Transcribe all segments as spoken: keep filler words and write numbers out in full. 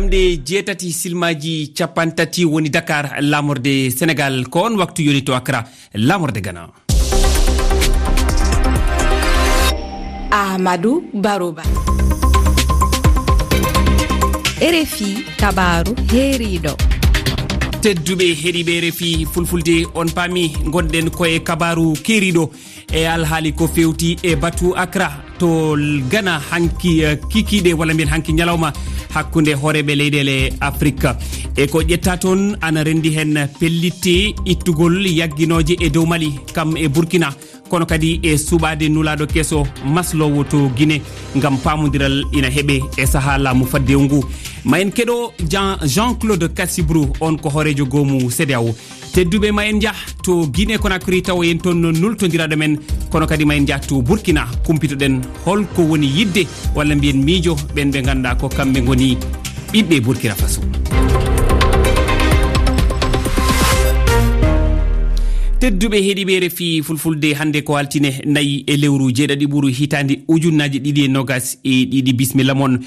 Nde jeetati silmaaji capanɗe tati woni Dakar, laamorde Senegal, ko on waktu yoni to Accra, laamorde Ghana. Ahmadu Baruba. R F I kabaaru heeriiɗo. Tedduɓe heɗiiɓe R F I Fulfulde, on paami ngonɗen ko e kabaaru keeriiɗo e alhaali ko fewti e batu Accra to Ghana hanki, eh, kikiiɗe walla mbiyen hanki ñalawma hakkunde hooreeɓe leyɗeele Afrik. E ko ƴetta toon ana renndi heen pellitte ittugol yagginooje e dow Mali, kam e Burkina, kono kadi e suɓaade nulaaɗo keso masloowo to Guinée ngam paamondiral ina heɓe e sahaa laamu faddewu ngu. Ma en keɗo Jean, Jean-Claude Cassibrou, on ko hooreejo goomu CEDEAO. Tedduɓe, ma en njah to Guinée Conakry tawo en toon nultondiraaɗo men, kono kadi ma en njah to Burkina, kumpitoɗen holko woni yidde walla mbiyen miijo ɓen ɓe ngannduɗaa ko kamɓe ngoni ɓiɓɓe Burkina Faso. Tedduɓe heɗiiɓe R F I Fulfulde, hannde ko altine nayi e lewru jeeɗaɗi ɓuru hitaande ujunnaaji ɗiɗi e noogas e ɗiɗi. Bismilla mon.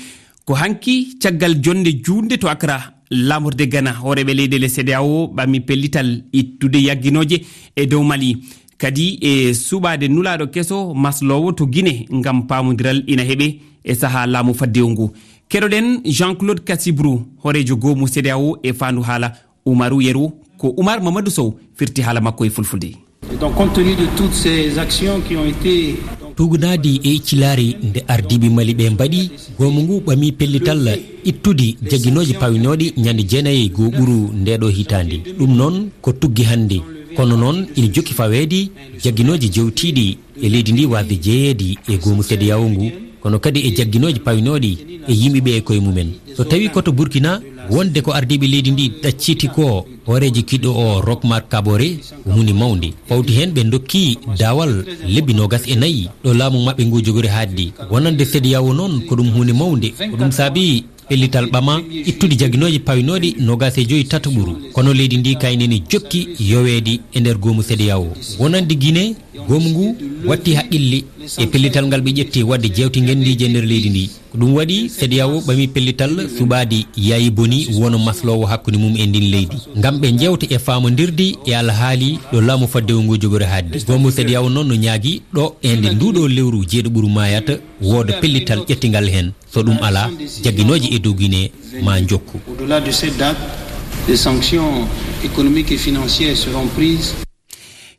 Ko hanki, caggal jonnde juutnde to Accra, laamorde Ghana, hooreeɓe leyɗeele CEDEAO ɓami pellital ittude yagginooje e dow Mali, kadi e suɓaade nulaaɗo keso masloowo to Guinée ngam paamondiral ina heɓe e sahaa laamu faddewu ngu. Keɗoɗen Jean-Claude Cassibrou, hooreejo goomu CEDEAO e faandu haala Umaru Yeru, ko Umar Mamadou Sow firti haala makko e Fulfulde. Et donc, compte tenu de toutes ces actions qui ont été Tuugnaadi e iccilaari nde ardiiɓe Mali ɓe mbaɗi, goomu ngu ɓami pellital ittude jagginooji pawinooɗi ñande jeenayi e goo ɓuru ndeeɗo hitaande. Ɗum noon ko tuggi hannde. Kono noon ina jokki faweede jagginooji jewtiiɗi e leydi ndi waasde jeyeede e goomu CEDEAO ngu, kono kadi e jagginooji pawinooɗi e yimɓe ɓe e koye mumen. So tawii ko to Burkina, wonde ko ardiiɓe leydi ndi ɗacciti ko, hooreejo kiɗɗo o Roch Marc Kaboré, ko huunde mawnde. Fawti heen ɓe ndokki daawal lebbi noogas e nayi ɗo laamu maɓɓe ngu jogori haaɗde. Wonande CEDEAO noon ko ɗum huunde mawnde. Ko ɗum saabi pellital ɓama ittude jagginooji pawinooɗi noogas e joy tataɓuru. Kono leydi ndi kayne ne jokki yoweede e nder goomu CEDEAO. Wonande Guinée, goomu ngu watti haqqille e pellital ngal ɓe ƴetti waɗde jeewte ngenndiije e nder leydi ndi. Ko ɗum waɗi CEDEAO ɓami pellital suɓaade Yaayi Boni wano masloowo hakkunde mum e ndin leydi. Ngam ɓe njewta e faamondirde e alhaali ɗo laamu faddewu ngu jogori haaɗde. Goomu CEDEAO noon no ñaagi ɗo e nde nduɗo lewru jeeɗo ɓuru maayata wooda pellital ƴettingal heen. So ɗum alaa, jagginooje e dow Guinée ma njokku. Au-delà de cette date, des sanctions économiques et financières seront prises.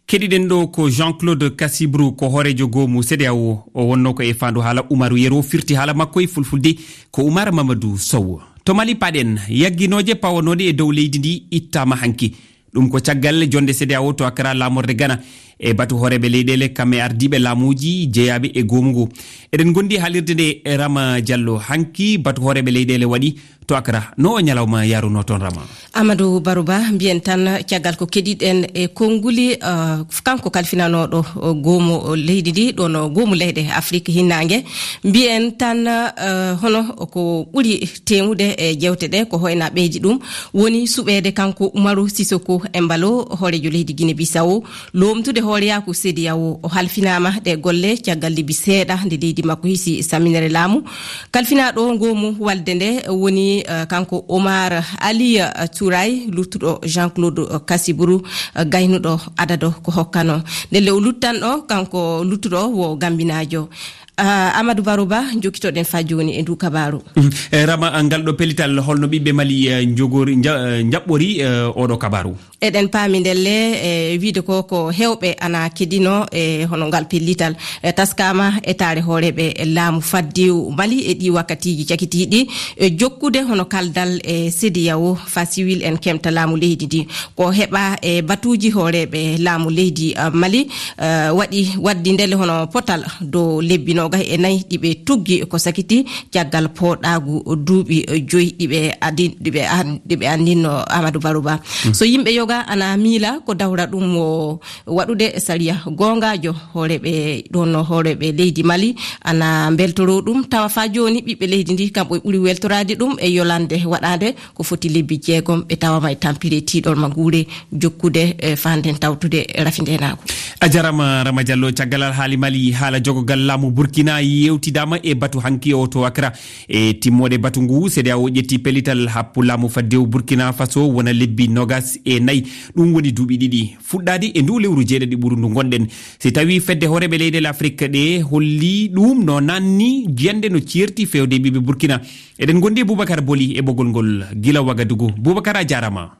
Keɗiɗen ɗo ko Jean-Claude Cassibrou, ko hooreejo goomu CEDEAO. O wonno ko e faandu haala Umaru Yero, firti haala makko e fulfulde ko Umar Mamadou Sow. To Mali paɗen, yagginooje pawanooɗe e dow leydi ndi ittaama hanki. Ɗum ko caggal jonde CEDEAO to Accra laamorde Ghana e batu hooreeɓe leyɗeele kam e ardiiɓe laamuuji jeyaaɓe e goomu ngu. Eɗen ngondi haalirde nde e Rama Diallo. Hanki batu hooreeɓe leyɗeele waɗi to Accra. No o ñalawma yaruno toon, Rama? Amadou Barouba, mbiyen tan caggal ko keɗiɗen e konnguli, eh, kanko kalfinanooɗo, eh, goomu leydi ndi, ɗoon goomu leyɗe Afrik Hinnange. Mbiyen tan, eh, hono ko ɓuri teeŋude e jeewte ɗe, ko hoyna ɓeydi ɗum, woni suɓeede kanko Umaru Sissoco Embaló, hooreejo leydi Guinée Bissau, loomtude hooreyaaku CEDEAO. O halfinaama ɗe golle caggal lebbi seeɗa nde leydi makko hisi saminere laamu. Kalfinaaɗo goomu walde nde woni, eh, kanko Omar Ali, eh, Touray, luttuɗo Jean-Claude, eh, Cassibrou, eh, gaynuɗo adado ko hokkano. Ndelle o luttanɗo, kanko luttuɗo wo Gambinaajo. Ah, Amadou Barouba, jokkitoɗen faa jooni e ndu kabaaru. Mm. Eh, Rama, ngal ɗo pellital, holno ɓiɓɓe Mali, eh, njogori, nja-, eh, njaɓɓori, eh, oɗo kabaaru? Eɗen paami ndelle, e wiide ko, ko heewɓe ana keɗino e hono ngal pellital. E taskaama etaare hooreeɓe laamu faddewu Mali e ɗii wakkatiiji cakitiiɗi, e jokkude hono kaldal e CEDEAO faa siwil en kemta laamu leydi ndi. Ko heɓa e batuuji hooreeɓe laamu leydi, ah, Mali, ah, waɗi, waddi ndelle hono potal dow lebbi noogayi e nayi ɗi ɓe tuggi ko sakiti caggal pooɗaagu duuɓi joyi ɗi ɓe adi-, ɗi ɓe an-, ɗi ɓe anndinno Amadou Barouba. Mm. So yimɓe Ga ana miila ko dawra ɗum o waɗude sariya goongaajo. Hooreeɓe ɗoon, hooreeɓe leydi Mali ana mbeltoroo ɗum, tawa faa jooni ɓiɓɓe leydi ndi kam ɓuri weltoraade ɗum e yolande waɗaande ko foti lebbi jeegom, ɓe tawama e tampere tiiɗol ma nguure jokkude, e, faa nden tawtude rafi ndeenaagu. A jarama, Rama Diallo. Caggal alhaali Mali, haala jogogal laamu Burkina yewtidaama e batu hanki o to Accra. E timmoode batu ngu, C D A O ƴetti pellital happu laamu faddewu Burkina Faso wona lebbi nogas e nayi. Ɗum woni duuɓi ɗiɗi fuɗɗaade e ndu lewru jeeɗaɗi ɓuru ndu ngonɗen. Si tawi fedde hooreeɓe leyɗe Afrik ɗe holli ɗum no nanni jiyande no ceerti fewde ɓiɓɓe Burkina. Eɗen ngondi e Boubacar Boli e ɓogol ngol gila Wagadugu. Boubacar, a jarama.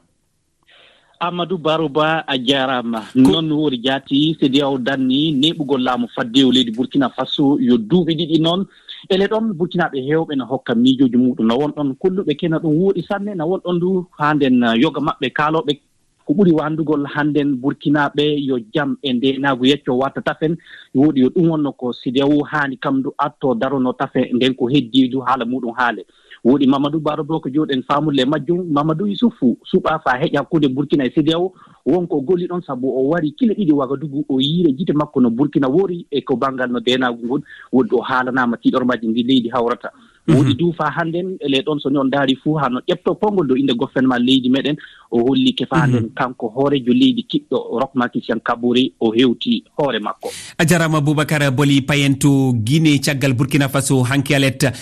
Amadou Baro Ba, a jaaraama. Ko- Non woori jaati, C D A O danni neeɓugol laamu faddewu leydi Burkina Faso yo duuɓi ɗiɗi noon. Ele ɗoon, Burkinaaɓe heewɓe na hokka miijooji muɗum. Na won ɗoon kolluɓe kena ɗum wooɗi sanne, na won ɗoon du haa nden, uh, yoga maɓɓe kaalooɓe ko ɓuri wandugol hannden Burkinaaɓe yo jam e ndeenaagu yecco watta tafen. Wooɗi yo ɗum wonno ko C D A O haani kam du atto darono tafe nden ko heddii du haala muɗum haale. Wooɗi Mamadou Baro Ba ko jooɗen faamude e majjum. Mamadou Issoufou suɓaa faa heƴa hakkunde Burkina e C D A O. Won ko o golli ɗon, sabu o wari kile ɗiɗi Wagadugu, o yiire gite makko no Burkina woori e ko banngal no ndeenaagu ngon. Wooɗi o haalanaama tiiɗormaaji ndi leydi hawrata. Mhm. Wooɗi du faa hannden, ele ɗon, so ni on ndaari fuu, haa no ƴepto konngol dow innde gouvernement leydi meɗen, o hollike faa Mhm. nden kanko hooreejo leydi kiɗɗo Roch Marc Christian Kabore, o hewti hoore makko. A jarama Boubacar Boli. Payen to Guinée, caggal Burkina Faso hanki alet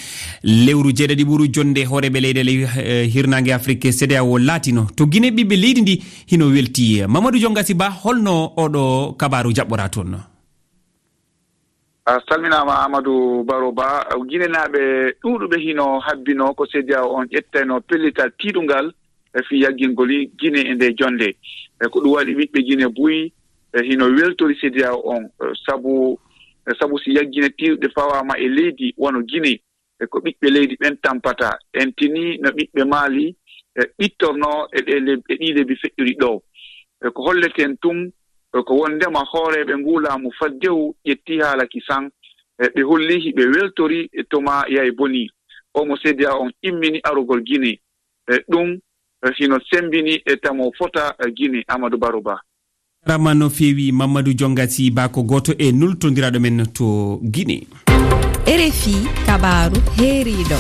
lewru jeeɗaɗi ɓuru jonde hooreeɓe leyɗe ley, eh, hirnaange Afrik, C D A O laatino. To Guinée, ɓiɓɓe leydi ndi hino welti. Mamadou Jongasi Ba, holno oɗo kabaaru jaɓɓora toon? A salminaama, Amadou Baro Ba. Guinenaaɓe ɗuuɗuɓe hino habbinoo ko C D A O on ƴettayno pellital tiiɗungal e fii yaggingol Guinée e nde jonde. E ko ɗum waɗi ɓiɓɓe Guinée buy, e hino weltori C D A O on, e sabu, e sabu si yaggine tiiɗuɗe fawaama e leydi wano Guinée, e ko ɓiɓɓe leydi ɓen tampata. En tinii no ɓiɓɓe Mali, e, ɓittornoo e ɗee leb-, e ɗii lebbi feƴƴuɗi ɗoo. E ko holleten tun, e ko wonndema hooreeɓe nguu laamu faddewu ƴettii haala kisan, e ɓe hollii hiɓe weltori e to maa yay bonii. O mo C D A O on immini arugol Guinée. E ɗum, e hino semmbini e tamo fota, e Guinée, Amadou Baro Ba. Jarama no feewi Mamadou Jongasi Ba, ko gooto e nultondiraaɗo men to Guinée. R F I kabaaru heeriiɗo.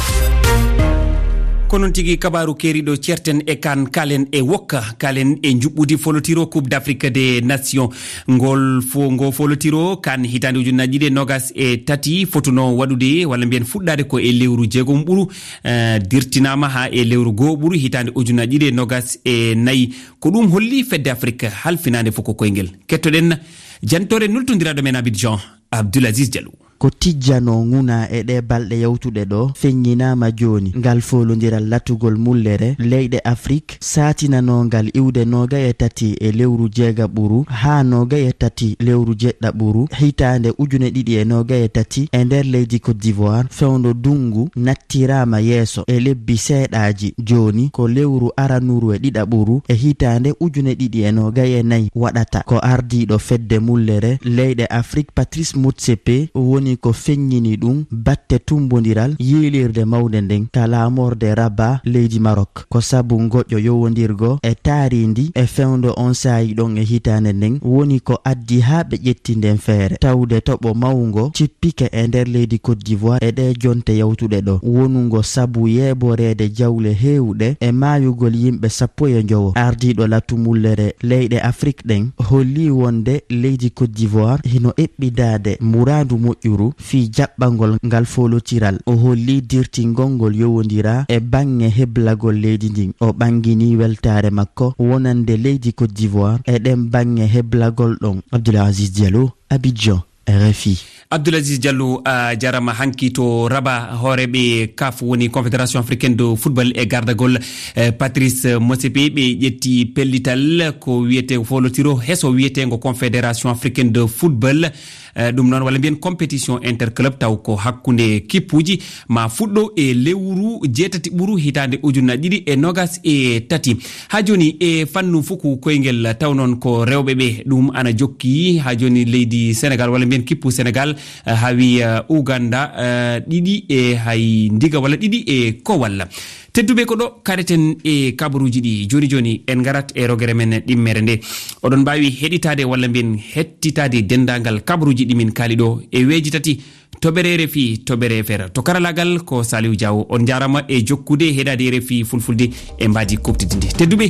Ko noon tigi, kabaaru keeriiɗo, ceerten e kan, kaalen e wokka, kaalen e njuɓɓudi folotiro Coupe d'Afrique des Nations. Ngol fo-, ngo folotiro kan hitaande ujunnaji ɗiɗi e nogas e tati fotuno waɗude, walla mbiyen fuɗɗaade ko e lewru jeegom ɓuru, eh, dirtinaama haa e lewru goo ɓuru hitaande ujunnaji ɗiɗi e nogas e nayi. Ko ɗum holli fedde Afrik halfinaande fof ko koyngel. Kettoɗen jantoore nultondiraaɗo men Abidjan, Abdoul Aziz Diallo. Ko tijjanoo ŋuna e ɗee balɗe yawtuɗe ɗoo feññinaama jooni. Ngal foolondiral latugol mullere leyɗe Afrik saatinanoo ngal iwde noogay e tati e lewru jeegaɓuru haa noogay e tati lewru jeɗɗaɓuru hitaande ujune ɗiɗi e noogay e tati e nder leydi Côte d'Ivoire, fewndo ndunngu nattiraama yeeso e lebbi seeɗaaji. Jooni ko lewru aranuru e ɗiɗaɓuru e hitaande ujune ɗiɗi e noogay e nayi waɗata. Ko ardiiɗo fedde mullere leyɗe Afrik, Patrice Motsepe, woni ko feññini ɗum batte tummbondiral yiilirde mawnde nden ka laamorde Rabat, leydi Marok. Ko sabu ngoƴo yowondirgo e taariindi e fewndo on saayi ɗon e hitaande nden woni ko addi haa ɓe ƴetti nden feere. Tawde toɓo mawngo cippike e nder leydi Côte d'Ivoire e ɗee jonte yawtuɗe ɗoo, wonungo sabu yeeboreede jawle heewɗe e maayugol yimɓe sappo e njowo. Ardiiɗo latu mullere leyɗe Afrik ɗen holli wonde leydi Côte d'Ivoire hino eɓɓidaade muraadu moƴƴuru fii jaɓɓangol ngal foolotiral. O holli dirtingol ngol yowondiraa e baŋŋe heblagol leydi ndin. O ɓanngini weltaare makko wonande leydi Côte d'Ivoire e ɗen baŋŋe heblagol ɗon. Abdoul Aziz Diallo, Abidjan, R F I. Abdoul Aziz Diallo, a jarama. Hanki to Rabat, hooreeɓe CAF, woni Confédération Africaine de Football, e gardagol, eh, Patrice Motsepe, ɓe ƴetti pellital ko wiyetee foolotiro heso wiyeteengo Confédération Africaine de Football. Eh, ɗum noon, walla mbiyen compétition interclub, taw ko hakkunde kippuuji, ma fuɗɗo e lewru jeetati ɓuru hitaande ujunnaji ɗiɗi e nogas e tati. Haa jooni e fannu fuku koyngel, taw noon ko rewɓe ɓe ɗum ana jokki. Haa jooni leydi Senegal, walla mbiyen kippu Senegal, eh, hawi, eh, Uganda, eh, ɗiɗi e hay ndiga walla ɗiɗi e kowal. Tedduɓe, ko ɗo kaɗeten e kabaruuji ɗi. Jooni jooni, en ngarat e rogere men ɗimmere nde. Oɗon mbaawi heɗitaade walla mbiyen hettitaade denndaangal kabaruuji ɗi min kaali ɗo e weeji tati, toɓɓere R F I, toɓɓere F R. To karalaagal ko Saliou Diaw. On njaaraama e jokkude heɗaade R F I Fulfulde e mbaadi kuuɓtidi ndi. Tedduɓe,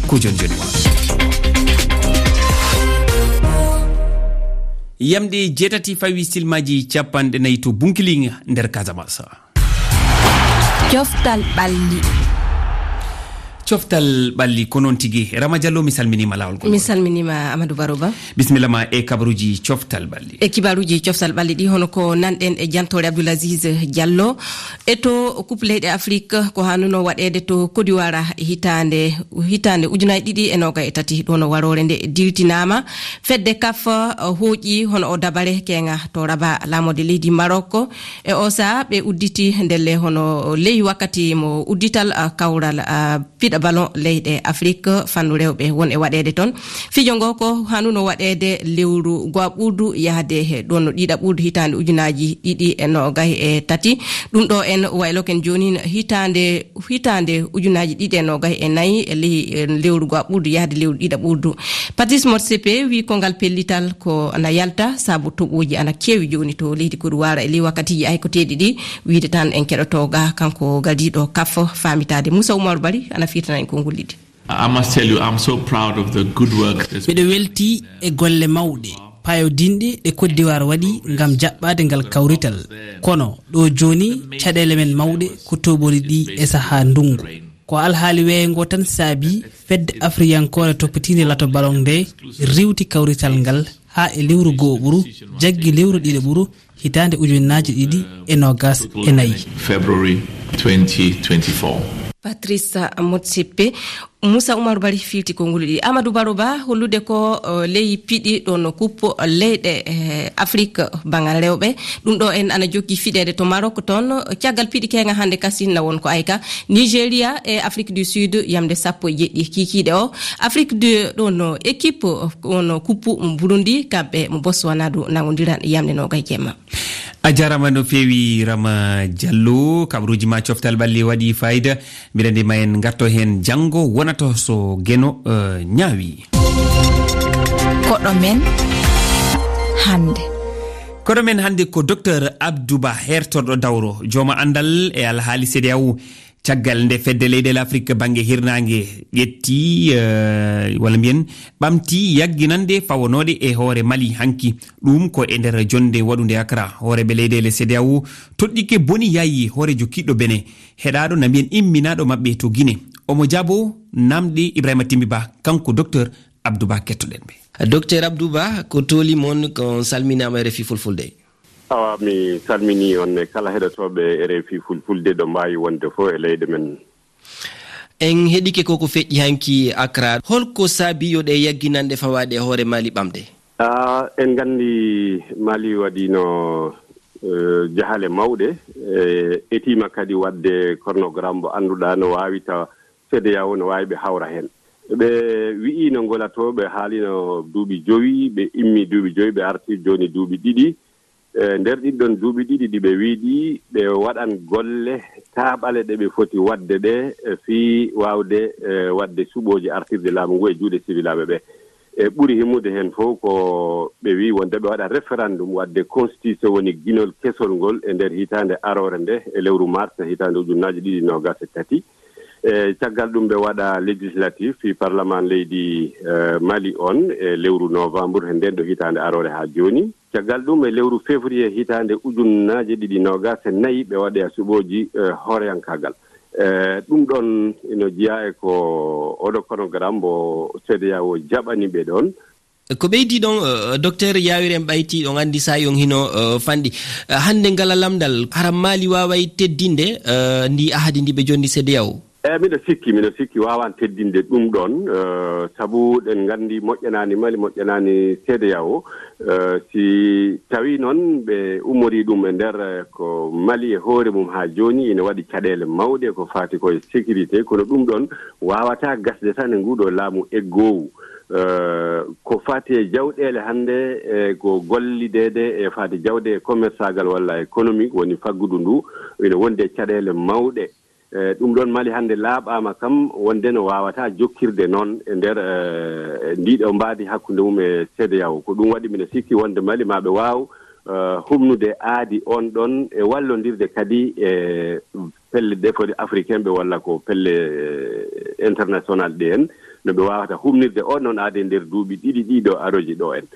ko jooni jooni won. Yamɗe jeetati fawi silmaaji capanɗe nayi to Bunkiling nder Casamance. Coftal ɓalli. Coftal ɓalli, ko noon tigi. Rama Diallo, mi salminiima laawol ngol. Mi salminiima, Amadou Baro Ba. Bisimilla ma e kabaruuji coftal ɓalli. E kibaruuji coftal ɓalli ɗi, hono ko nanɗen e jantoore Abdoul Aziz Diallo. E to Coupe leyɗe Afrik, ko hanuno waɗeede to Côte d'Ivoire hitaande, hitaande ujunaaji ɗiɗi e noogay e tati, ɗo no waroore nde dirtinaama. Fedde kaf, uh, hooƴi hono o dabare keenga to Rabat, laamorde leydi Maroc. E o saha ɓe udditi ndelle hono ley wakkati mo uddital, uh, kawral, uh, piɗa ballon leyɗe Afrik fannu rewɓe won e waɗeede toon. Fijo ngo ko hanuno waɗeede lewru go'a ɓurdu yahde he ɗon no ɗiɗa ɓurdu hitaande ujunaaji ɗiɗi e noogay e tati. Ɗum ɗo en wayloken jooni hitaande, hitaande ujunaaji ɗiɗi e noogay e nayi e ley, e lewru go'a ɓurdu yahde lewru ɗiɗa ɓurdu. Patrice Motsepe wi kongal pellital ko ana yalta sabu toɓooji ana keewi jooni to leydi Côte d'Ivoire e ley wakkatiiji aykoteeɗi ɗi. Wiide tan en keɗoto ga kanko gardiiɗo kaf faamitaade. Moussa Oumar Bari ana firtana en konngol ɗiɗi. I must tell you, I'm so proud of the good work that's Miɗo welti e golle mawɗe, paayodinɗe ɗe Côte d'Ivoire waɗi ngam jaɓɓaade ngal kawrital. Kono ɗo jooni, caɗeele men mawɗe ko toɓooli ɗi e sahaa ndunngu. Ko alhaali weeyo ngo tan saabi fedde afriyankoore toppitiinde lato ballon nde riiwti kawrital ngal haa e lewru go'o ɓuru, jaggi lewru ɗiɗo ɓuru, hitaande ujunaaji ɗiɗi e noogas e nayi. February twenty twenty-four. Patrice Motsepe, Moussa Oumar Bari firti konngol ɗiɗi. Amadou Baro Ba, hollude ko, eh, ley piɗi ɗon coupe leyɗe, eh, Afrik banngal rewɓe. Ɗum ɗo en ana jokki fiɗeede to Maroc toon. Caggal piɗi keenga hannde kasinna won ko ayka. Nigeria e Afrique du Sud yamde sappo e jeɗɗi kiikiiɗe o. Afrique du, ɗon équipe, on coupe mo Burundi, kamɓe mo Botswana du nangondiran yamde noogay jemma. A jaaraama no feewi, Rama Diallo. Kabaruuji ma coftal ɓalli waɗi fayida. Mbiɗa anndi ma en ngarto heen janngo, wonata so Geno, eh, ñaawi. Koɗo men hannde. Koɗo men hannde ko Docteur Abdou Ba, heertorɗo dawro, jooma anndal e alhaali C E D E A O. Caggal nde fedde leyɗeele Afrik bannge hirnaange ƴetti, eh, walla mbiyen ɓamti yagginande fawanooɗe e hoore Mali hanki, ɗum ko e nder jonnde waɗunde Accra, hooreeɓe leyɗeele C E D E A O toɗɗike boni yaayi hooreejo kiɗɗo Benin, heɗaaɗo na mbiyen imminaaɗo maɓɓe to Guinée. Omo jaabo namɗe Ibrahima Timbi Ba, kanko Docteur Abdou Ba, kettoɗen ɓe. Docteur Abdou Ba, ko tooli mon, ko salminaama R F I Fulfulde. Awa, mi salminii on e kala heɗotooɓe R F I Fulfulde ɗo mbaawi wonde fof e leyɗe men. En heɗike ko ko feƴƴi hanki Accra. Holko saabi yo ɗe yagginanɗe fawaaɗe e hoore Mali ɓamde? Ah, en nganndi Mali waɗiino, eh, jahale mawɗe, eh, etiima kadi waɗde chronogramme mo annduɗaa no waawi tawa C E D E A O no waawi ɓe hawra heen. Ɓe wi'iino ngola to, ɓe haaliino duuɓi jowi, ɓe immii duuɓi jowi, ɓe artii jooni duuɓi ɗiɗi. E nder ɗin ɗon duuɓi ɗiɗi ɗi ɓe wi'i ɗi, ɓe waɗan golle taaɓale ɗe ɓe foti waɗde ɗe, e fii waawde, e, waɗde suɓooji artirde laamu ngu e juuɗe siwilaaɓe ɓe. E ɓuri himmude heen fof ko ɓe wi'i wonde ɓe waɗa référendum waɗde constitution, woni ginol kesol ngol e nder hitaande aroore nde e lewru mars hitaande ujunnaji ɗiɗi noogas e tati. E caggal ɗum ɓe waɗa législatif fii parlement leydi, e, Mali on e lewru novembre he nden ɗo hitaande aroore haa jooni. Caggal ɗum, e lewru février hitaande ujunnaaje ɗiɗi noogas e nayi, ɓe waɗoya suɓooji, eh, hooreyankaagal. Eh, ɗum ɗon ino jeyaa e ko oɗo chronogramme mbo C E D E A O jaɓani ɓe ɗon. Ko ɓeydii ɗon, eh, Docteur Yawir en ɓayti, on anndi saa'i on hino, eh, fanɗi. Eh, hannde ngala lamndal, hara Mali waaway teddinde, eh, ndi ahadi ndi ɓe jonni C E D E A O? Eey, miɗo sikki, miɗo sikki waawaan teddinde ɗum ɗoon, eh, sabu ɗen nganndi moƴƴanaani Mali, moƴƴanaani C E D E A O. Eh, si tawii noon ɓe ummorii ɗum e nder, eh, ko Mali e hoore mum haa jooni ina waɗi caɗeele mawɗe ko faati ko e sécurité, kono ɗum ɗoon waawataa gasde tan e nguu ɗoo laamu eggoowu. Eh, ko faati e jawɗeele hannde, e ko gollideede e faati jawde e commerçaagal walla économique woni faggudu ndu, ina wondi e caɗeele mawɗe. Eh, ɗum ɗoon Mali hannde laaɓaama kam wonde no waawataa jokkirde noon e nder, eh, ndiiɗo mbaadi hakkunde mum e C E D E A O. Ko ɗum waɗi mino sikki wonde Mali maa ɓe waaw, eh, humnude aadi on ɗoon e wallondirde kadi e pelle ɗe foti africain ɓe walla ko pelle, eh, international ɗe en, no ɓe waawata humnirde on ɗoon aadi e nder duuɓi ɗiɗi ɗiɗo aroji ɗo en.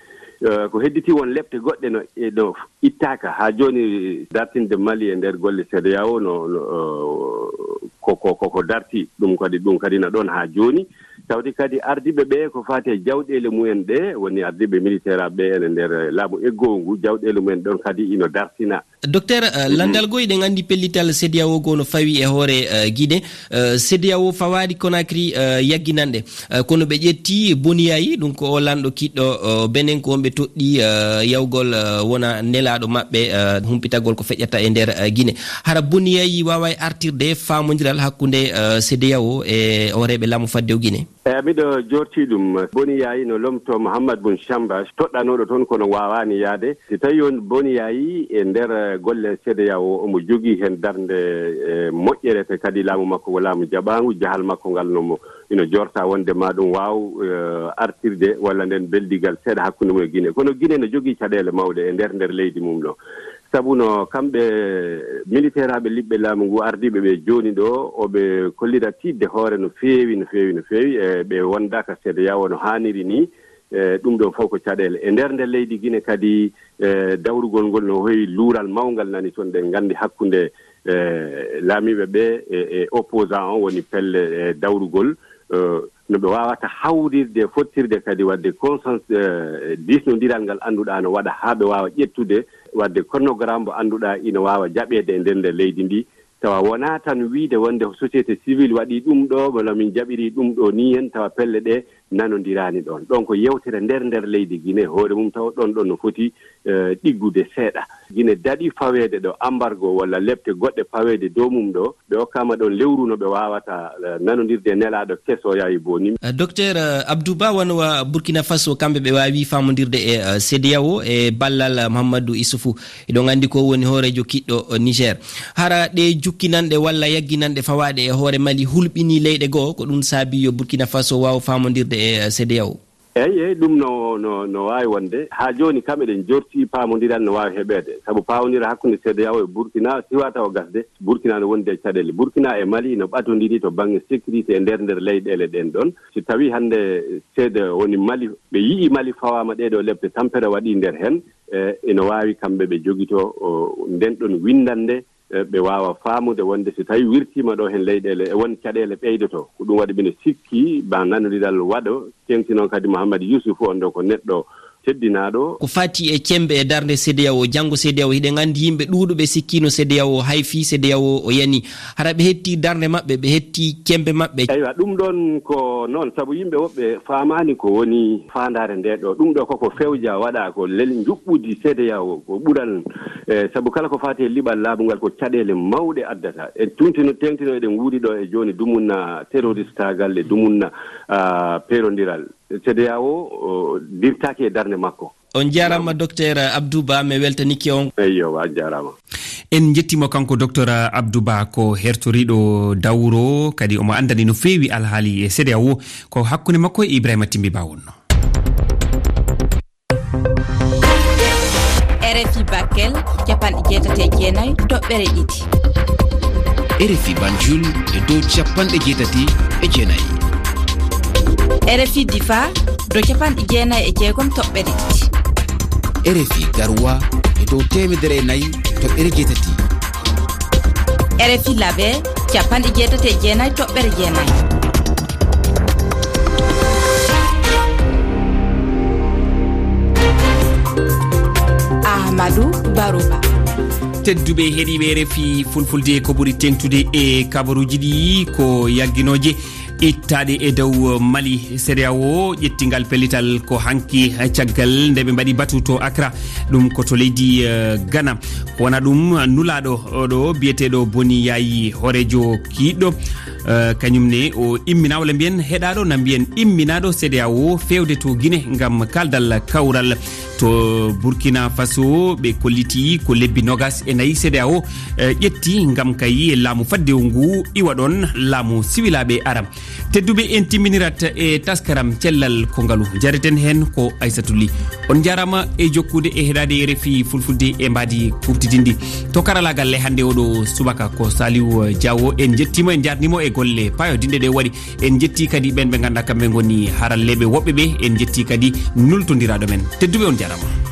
Eh, ko hedditi won lepte goɗɗe no, e no ittaaka haa jooni dartinde Mali e nder golle C E D E A O no, no, eh, ko, ko, ko, ko darti. Ɗum kadi, ɗum kadi na ɗoon haa jooni. Tawde kadi ardiiɓe ɓe ko faati e jawɗeele mumen ɗe, woni ardiiɓe militaire ɓe ene nder laamu eggoowu ngu, jawɗeele mumen ɗoon kadi ino dartina. Docteur, eh, Mhm. Lanndal goo, eɗen anndi pellital C E D E A O goo no fawi e hoore, eh, Guinée. Eh, C E D E A O fawaali Conakry, eh, yagginanɗe. Eh, kono ɓe ƴetti Boni Yayi, ɗum ko o lanɗo kiɗɗo, eh, Benin, ko on ɓe toɗɗi, eh, yawgol, eh, wona nelaaɗo maɓɓe, eh, humpitagol ko feƴƴata e nder, eh, Guinée. Hara Boni Yayi waaway artirde faamondiral hakkunde, eh, C E D E A O e hooreeɓe laamu faddewu Guinée? Eyi, miɗo joortii ɗum. Boni Yayi no lomtoo Mohamed Boun Chamba, toɗɗanooɗo toon, kono waawaani yahde. Si tawii on Boni Yayi e nder, eh, golle C E D E A O, omo jogii heen darnde, eh, moƴƴere, te kadi laamu makko ko laamu jaɓaangu, jahal makko ngal no mo, ino joorta wonde ma ɗum waaw, eh, artirde walla nden beldigal seeɗa hakkunde mum e Guinée. Kono Guinée no jogii caɗeele mawɗe e nder, nder leydi mum ɗo. Sabu no kamɓe militeeraaɓe liɓɓe laamu ngu, ardiiɓe ɓe jooni ɗo, oɓe kollira tiiɗde hoore no feewi, no feewi, no feewi, e ɓe wondaaka C E D E A O no haaniri ni. E ɗum ɗo fof ko caɗeele. E nder, nder leydi Guinée kadi, e dawrugol ngol no hoyi luural mawngal nani toon, ɗen nganndi hakkunde, e laamiiɓe ɓe e, e opposant on, woni pelle, e dawrugol, e, no ɓe waawata hawrirde, fottirde kadi waɗde consens-, e, diisnondiral ngal annduɗaa no waɗa haa ɓe waawa ƴettude, waɗde chronogramme mo annduɗaa ina waawa jaɓeede e nder, nder leydi ndi. Tawa wonaa tan wiide wonde ko société civile waɗi ɗum ɗo, walla min jaɓiri ɗum ɗo nii hen, tawa pelle ɗe nanondiraani ɗoon. Ɗoon ko yewtere nder, nder leydi Guinée hoore mum, tawa ɗoon ɗoon no foti, e, ɗiggude seeɗa. Guinée daɗi faweede ɗo embargo walla lepte goɗɗe faweede dow mum ɗo, ɓe okkaama ɗoon lewru no ɓe waawata, e, nanondirde e nelaaɗo keso Yayi Boni. E, Docteur, e, Abdou Ba, wano wa Burkina Faso, kamɓe ɓe waawi faamondirde e, e, C E D E A O e ballal, e, Mahamadou Issoufou. Eɗon anndi ko woni hooreejo kiɗɗo, e, Niger. Hara ɗe jukkinanɗe walla yagginanɗe fawaaɗe e hoore Mali hulɓinii leyɗe goo, ko ɗum saabii yo Burkina Faso waaw faamondirde e, e, C E D E A O? Eyi, eyi, ɗum no, no, no waawi wonde. Haa jooni kam eɗen jortii paamondiral no waawi heɓeede. Sabu paamondiral hakkunde C E D E A O e Burkina siwaa tawa gasde. Burkina no wondi e caɗeele. Burkina e Mali no ɓatondiri to baŋnge sécurité e nder, nder leyɗeele ɗen ɗon. Si tawii hannde C E D E A O woni Mali, ɓe yi'i Mali fawaama ɗee ɗoo lepte tampere waɗii nder heen, e, ina waawi kamɓe ɓe jogitoo, o, nden ɗon winndannde, e, ɓe waawa faamude wonde so tawii wirtiima ɗo heen leyɗeele, e won caɗeele ɓeydotoo. Ko ɗum waɗi mino sikki ma nanondiral waɗo, teeŋti noon kadi Mohamed Yusuf on ɗo ko neɗɗo teddinaaɗo. Ko faati e cemmbe e darnde C E D E A O, janngo C E D E A O, hiɗen anndi yimɓe ɗuuɗuɓe sikkiino C E D E A O, hay fii C E D E A O o yani. Hara ɓe heɓtii darnde maɓɓe, ɓe heɓtii cemmbe maɓɓe? Eywa, ɗum ɗoon ko noon, sabu yimɓe woɓɓe faamaani ko woni faandaare nde ɗo. Ɗum ɗo koko fewja waɗa ko lel njuɓɓudi C E D E A O, ko ɓural, e, sabu kala ko faati e liɓal laaɓungal ko caɗeele mawɗe addata. En tuntino, teeŋtino eɗen nguuri ɗo e jooni dumunna terroristaagal e dumunna, a, peerondiral. C E D E A O, o, dirtaaki e darnde makko. On njaaraama, Docteur Abdou Ba, mi weltaniike on. Eyyo, a jaaraama. En njettii mo kanko Docteur Abdou Ba, ko hertoriiɗo dawro, kadi omo anndani no feewi alhaali e C E D E A O, ko hakkunde makko e Ibrahima Timbi Ba wonnoo. R F I Bakel, capanɗe jeetati e jeenayi toɓɓere ɗiɗi. R F I Banjul e dow capanɗe jeetati e jeenayi. R F I Difa, dow capanɗe jeenayi e jeegom toɓɓere ɗiɗi. R F I Garoua e dow teemedere e nayi toɓɓere jeetati. R F I Labe, capanɗe jeetati e jeenayi toɓɓere jeenayi. Ahmadou Barouba. Tedduɓe heɗiiɓe R F I Fulfulde, ko ɓuri teeŋtude e kabaruuji ɗi ko yagginooje. Ittaade e dow Mali, CEDEAO ƴetti ngal pellital ko hanki caggal nde ɓe mbaɗi batu to Accra, ɗum ko to leydi, eh, Ghana. Ko wona ɗum nulaaɗo oɗo biyeteeɗo Boni Yayi Horejo Kiiɗɗo, eh, kañum ne o immina, walla mbiyen heɗaaɗo na mbiyen imminaaɗo CEDEAO feewde to Guinée ngam kaldal kawral. To Burkina Faso, ɓe kolliti ko lebbi nogas e nayi CEDEAO, eh, ƴetti ngam kayi laamu faddewu ngu iwa ɗon, laamu siwilaaɓe Arab. Tedduɓe, en timminirat e taskaram cellal ko ngalu. Jareten heen ko Aysatu Li. On njaaraama e jokkude e heɗaade RFI Fulfulde e mbaadi kuftidinndi. To karalaagal e hannde oɗo subaka ko Saliou Diawo. En njettiima, en njaarniima e golle paayodinɗe ɗe waɗi. En njetti kadi ɓen ɓe ngannduɗaa kamɓe ngoni haralleeɓe woɓɓe ɓe. En njetti kadi nultondiraaɗo men. Tedduɓe, on njaaraama.